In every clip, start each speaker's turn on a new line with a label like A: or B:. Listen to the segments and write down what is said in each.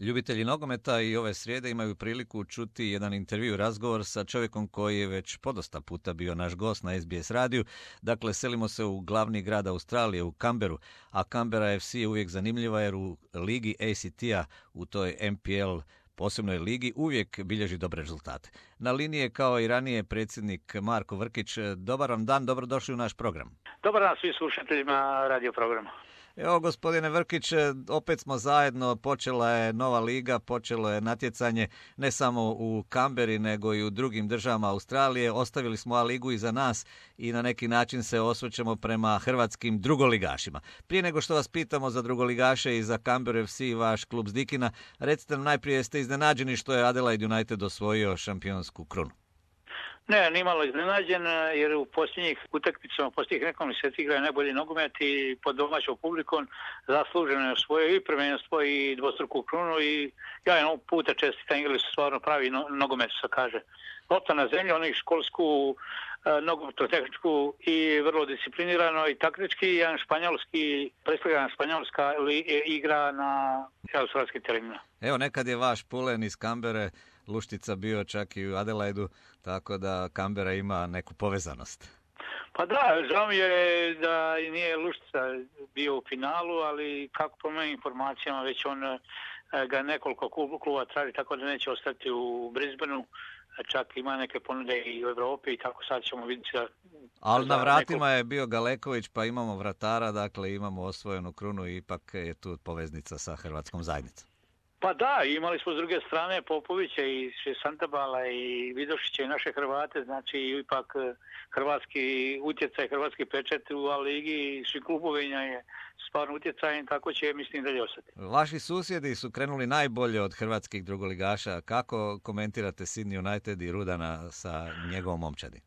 A: Ljubitelji nogometa i ove srijede imaju priliku čuti jedan intervju, razgovor sa čovjekom koji je već podosta puta bio naš gost na SBS radiju. Dakle, selimo se u glavni grad Australije, u Canberru, a Canberra FC je uvijek zanimljiva jer u ligi ACT-a, u toj MPL posebnoj ligi, uvijek bilježi dobre rezultate. Na liniji je kao i ranije predsjednik Marko Vrkić. Dobar vam dan, dobrodošli u naš program.
B: Dobar dan svim slušateljima radio programa.
A: Evo, gospodine Vrkić, opet smo zajedno, počela je nova liga, počelo je natjecanje ne samo u Canberri nego i u drugim državama Australije. Ostavili smo A ligu iza nas i na neki način se osvrćemo prema hrvatskim drugoligašima. Prije nego što vas pitamo za drugoligaše i za Canberra FC i vaš klub Zdikina, recite nam najprije, jeste iznenađeni što je Adelaide United osvojio šampionsku krunu?
B: Ne, nimalo iznenađen, jer u posljednjih utakmicama, posljednjih nekoliko mjeseci igraju najbolji nogomet i pod domaćom publikom zasluženo je osvojio i prvenstvo i dvostruku krunu i ja jednog puta čestitam, igrali su stvarno pravi nogomet, što kaže. Lopta na zemlji, oni školsku, nogometno-tehničku i vrlo disciplinirano i taktički, jedan španjolski, predstavljena španjolska igra na australskim terenima.
A: Evo, nekad je vaš pulen iz Canberre Luštica bio čak i u Adelaidu, tako da Canberra ima neku povezanost.
B: Pa da, žao mi je da nije Luštica bio u finalu, ali kako po mojim informacijama već on ga nekoliko kluba traži, tako da neće ostati u Brisbaneu. Čak ima neke ponude i u Europi i tako sad ćemo vidjeti.
A: Ali na vratima je bio Galeković, pa imamo vratara, dakle imamo osvojenu krunu i ipak je tu poveznica sa hrvatskom zajednicom.
B: Pa da, imali smo s druge strane Popovića i Santabala i Vidošića i naše Hrvate, znači ipak hrvatski utjecaj, hrvatski pečet u A ligi i svi klubovinja je stvarno utjecajen, tako će mislim dalje ostati. Vaši
A: susjedi su krenuli najbolje od hrvatskih drugoligaša. Kako komentirate Sydney United i Rudana sa njegovom momčadi?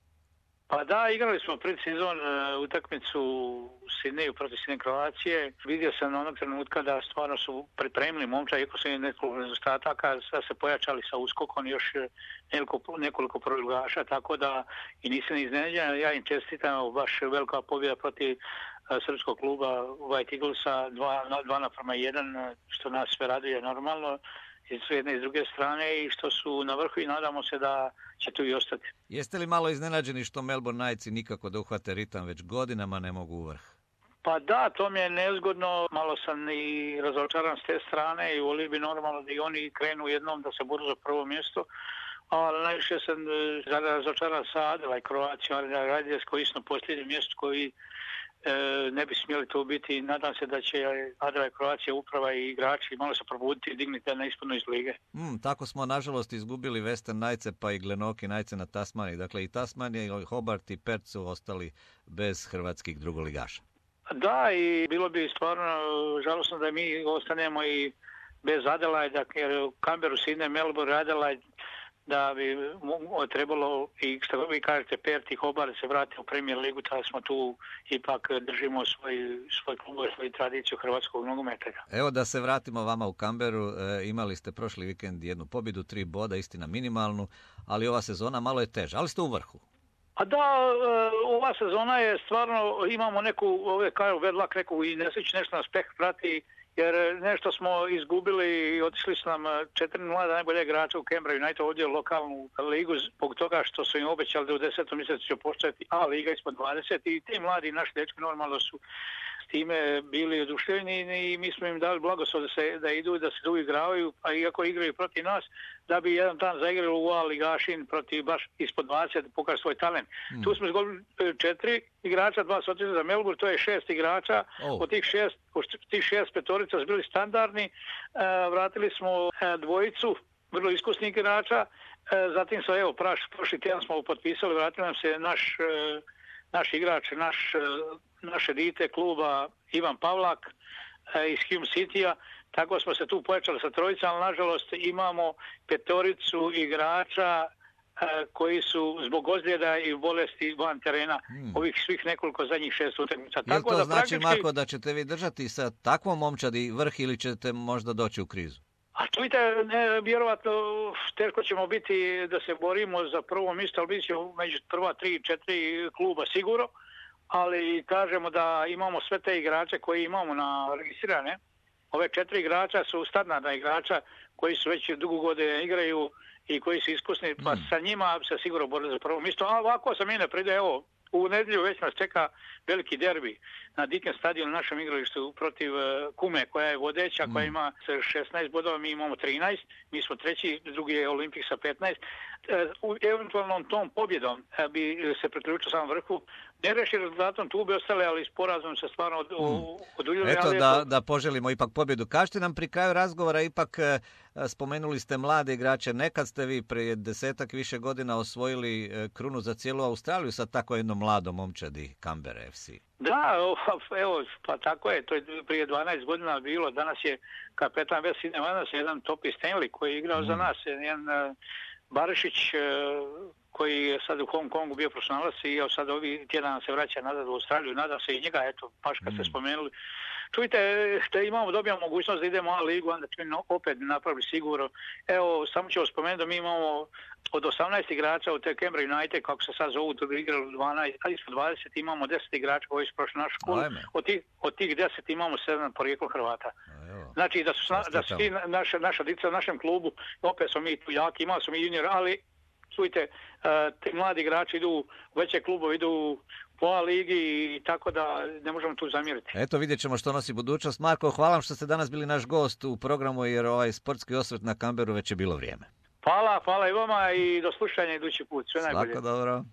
B: Pa da, igrali smo predsezon utakmicu u Sidneju protiv Sidne Kroacije. Vidio sam onog trenutka da stvarno su pripremili momčad, iako su nekoliko nedostataka, da se pojačali sa uskokom još nekoliko proligaša, tako da i nisam iznenađen. Ja im čestitam, baš velika pobjeda protiv srpskog kluba White Eaglesa, 2:1, što nas sve raduje normalno. S jedne i s druge strane i što su na vrhu i nadamo se da će tu i ostati.
A: Jeste li malo iznenađeni što Melbourne Knightsi nikako da uhvate ritam, već godinama ne mogu u vrh?
B: Pa da, to mi je nezgodno, malo sam i razočaran s te strane i volio bi normalno da i oni krenu jednom da se boru za prvo mjesto, ali najviše sam razočaran sa Adelaide Croatia, Adelaide koji su na posljednjem mjestu koji ne bi smjeli to biti. Nadam se da će Adelaide Croatia uprava i igrači malo se probuditi i digniti na ispodnu iz lige.
A: Tako smo nažalost izgubili Western Knightse pa i Glenorchy Knightse na Tasmaniji. Dakle i Tasmanija, i Hobart i Perth su ostali bez hrvatskih drugoligaša.
B: Da, i bilo bi stvarno žalosno da mi ostanemo i bez Adelaide, jer u Canberru, Sydney, Melbourne, Adelaide, da bi trebalo, i što vi kažete, Perth i Hobart se vrati u Premier ligu, tada smo tu ipak držimo svoj klub, svoju tradiciju hrvatskog nogometa.
A: Evo da se vratimo vama u Canberru, imali ste prošli vikend jednu pobjedu, 3 boda, istina minimalnu, ali ova sezona malo je teža, ali ste u vrhu.
B: A da, ova sezona je stvarno, imamo neku, vedlak, neku i nesreću, nešto nas peh prati, jer nešto smo izgubili i otišli su nam 4 mlada najbolje igrača u Canberra United ovdje u lokalnu ligu zbog toga što su im obećali da u 10. mjesecu će početi A liga ispod 20 i ti mladi naši dečki normalno su s time bili oduševljeni i mi smo im dali blagoslov da idu, da se tu igravaju, a iako igraju protiv nas, da bi jedan dan zaigrali u A ligašin protiv baš ispod 20, pokaže svoj talent. Tu smo izgubili 4 igrača, 2 su otišli za Melbourne, to je 6 igrača, od tih 6 petorica su bili standardni, vratili smo dvojicu vrlo iskusnih igrača, zatim se prošli tjedan smo potpisali, vratili nam se naš igrač, naše dite kluba Ivan Pavlak iz Hume City-a, tako smo se tu pojačali sa trojicom, ali nažalost imamo petoricu igrača koji su zbog ozljeda i bolesti van terena ovih svih nekoliko zadnjih 6 utakmica.
A: Jel to znači, Marko, da ćete vi držati sa takvom momčadi vrh ili ćete možda doći u krizu?
B: A čujte, vjerovatno teško ćemo biti da se borimo za prvo mjesto, ali bit će među prva 3-4 kluba sigurno, ali kažemo da imamo sve te igrače koji imamo registrirane ove 4 igrača su standardna igrača koji su već dugo godine igraju i koji su iskusni, pa sa njima se sigurno borili za prvo mjesto. A ovako sam ne pride, evo, u nedjelju već nas čeka veliki derbi na Diken stadionu, na našem igralištu protiv Kume, koja je vodeća, koja ima 16 bodova, mi imamo 13, mi smo treći, drugi je Olimpik sa 15. U eventualnom tom pobjedom bi se priključio samom vrhu. Ne reši rezultatom, tu bi ostale, ali sporazum se stvarno oduljili.
A: Eto da poželimo ipak pobjedu. Kažete nam pri kraju razgovora, ipak spomenuli ste mlade igrače. Nekad ste vi prije 10-ak više godina osvojili krunu za cijelu Australiju sa tako jednom mladom momčadi Canberra FC.
B: Da, evo, pa tako je, to je prije 12 godina bilo. Danas je kapetan West Sydney Wanderers, jedan Topi Stanley koji je igrao za nas, jedan Barišić koji je sad u Hong Kongu bio profesionalac i evo sad ovi tjedan se vraća nazad u Australiju, nadam se i njega, eto, baš kad ste spomenuli. Čujte, dobijamo mogućnost da idemo u ligu, onda ćemo opet napraviti sigurno. Evo, samo ću spomenuti da mi imamo od 18 igrača u te Canberra United, kako se sad zovu, to bi igrali 12, a ispod 20 imamo 10 igrača koji su prošli našu školu. Od tih 10 imamo 7 porijeklo Hrvata. Znači da su ti naša djeca u našem klubu, opet smo mi tu jaki, imali smo mi junior, ali čujte, ti mladi igrači idu u veće klubove, idu u A ligi i tako da ne možemo tu zamjeriti.
A: Eto, vidjet ćemo što nosi budućnost. Marko, hvala vam što ste danas bili naš gost u programu, jer ovaj sportski osvrt na Canberru već je bilo vrijeme.
B: Hvala i vama i do slušanja idući put. Sve najbolje.
A: Svako dobro.